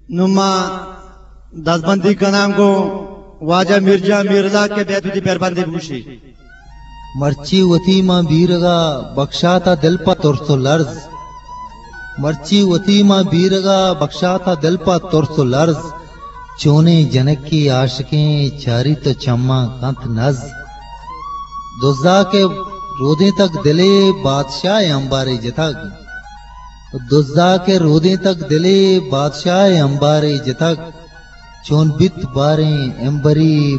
نوں ما دزبندی کناں گوں واجہ میرجان میرلا کہ بیت وتی پربندی بگوشی۔ مرچی وتی ماں بیرگا بکشاتا دل پہ ترس و لرز۔ مرچی وتی ماں بیرگا بکشاتا دل پہ ترس و لرز۔ چونیں جنکی عاشقیں چاری تو چماں کنت نز۔ دزا کہ رودیں تک دلے بادشاہ امبارے جتگ۔ دزا کہ رودیں تک دلے بادشاہ امبارے جتگ۔ چون بیت باریں امبری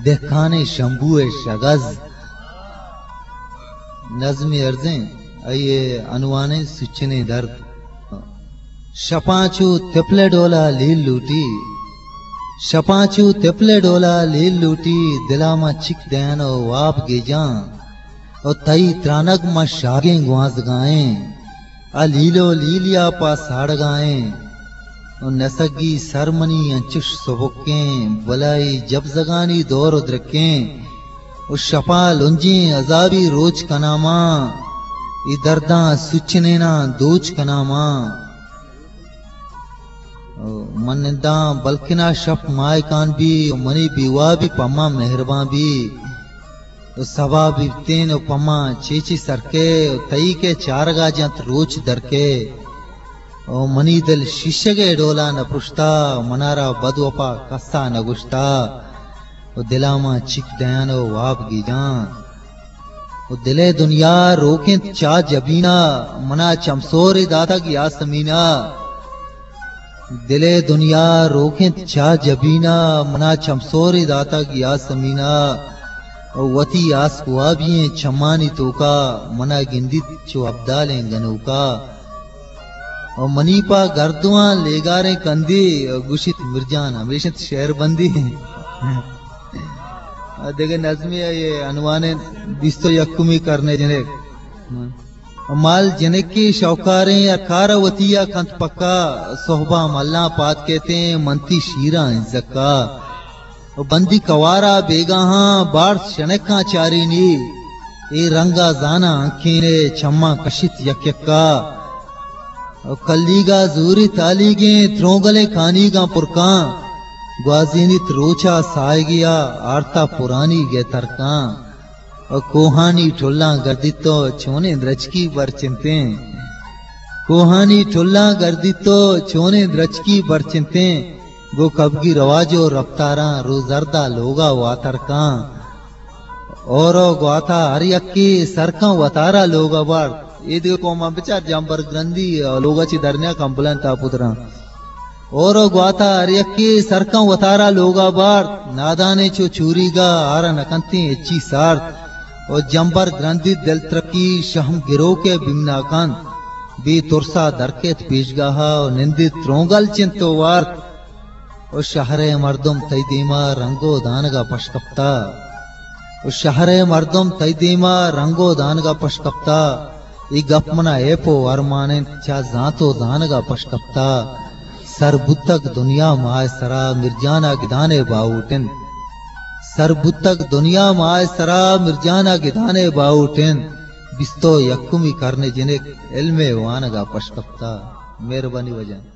دہکانیں شمبو ءِ شگز۔ نظمے ارزیں، آئی ءِ عنوان ءِ سچنیں درد۔ شپاں چو تپل ءِ ڈولا لیل لوٹی، شپاں چو تپل ءِ ڈولا لیل لوٹی، دلا ما چک دین و واب گیجاں، و تئی ترانگ ما شاگیں گوانزگائیں۔ آ لیلو لیلیا پہ ساڑگائیں، و نسگی سر منی انچش سبکیں، بلائی جبزگانی دور و درکیں، و شپا لنجیں عذابی روچ کناں ما، ای درداں سچنیناں دوچ کناں ما۔ و من ننداں بلکنا شپ ماہکان بی، و منی بیوابی پما مہربان بی۔ و سبا بیتین و پما چیچی سرکے، و تئی کہ چارگا جنت روچ درکے۔ و منی دل شیشگے ڈولا نہ پرشتا، و منارا بد وپا کسا نہ گوشتا۔ و دلا ما چک دیان و واب گیجان۔ و دلے دنیا روکنت چا جبینا، منا چمسورے داتگ یاسمینا۔ دلے دنیا روکنت چا جبینا، منا چمسورے داتگ یاسمینا۔ و وتی آسک وابییں چمانی توکا، منا گندیت چو ابدالیں گنوکا۔ و منی پا گردواں لیگاریں کندی، و گوشیت مرجان ہمیش انت شعر بندی۔ دگہ نظمے ءِ عنوان بیست و یکمی کرنے جنک۔ مال جنکی شوکاریں، ہر کار وتی ءَ کنت پکا، سہباں ملاں پاد کیتیں، منتی شیراں زکا۔ و بندی کوارا بیگاہاں، بارت شنکاں چارینی، اے رنگا زاناں انکینے، چماں کشیت یک یکا۔ و کلیگا زوری تالیگیں، ترونگلیں کانیگاں پرکاں، گوازینیت روچا ساہگیا، آرتا پرانی گے ترکاں۔ و کوہانی ٹلاں گردیت تو چونیں درچکی برچنتیں۔ کوہانی ٹلاں گردیت تو چونیں درچکی برچنتیں۔ گو کبگی رواج و رپتاراں، رو زردا لوگا واترکاں۔ اورو گواتا ہر یکی سرکاں وتارا لوگا بارت۔ اے دگہ قوماں بچار جمبر گرندی لوگا چی درنیا کمبلان تا پتراں۔ اورو گواتا ہر یکی سرکاں وتارا لوگا بارت، نادانے چو چوریگا آرا نکنتیں اچی سارت۔ او جمبر گرندی دل ترکی شہم گروکے بیمنا کنت۔ بے ترسا درکیت پیشگاہا و نندیت ترونگل چنت و وارت۔ او شہرے مردم تئی دیما رنگ و دانگا پش کپتا۔ او شہرے مردم تئی دیما رنگ و دانگا پش کپتا۔ اے گپ منا ایپ و ارمان انت، چا زانت و زانگا پش کپتا۔ سر بوتگ دنیا ماہ سرا، مرجانا گدانے باہوٹ انت۔ سر بوتگ دنیا ماہ سرا، مرجانا گدانے باہوٹ انت۔ بیست و یکمی کرنے جنک علم وانگا پش کپتا۔ مہربانی واجہ۔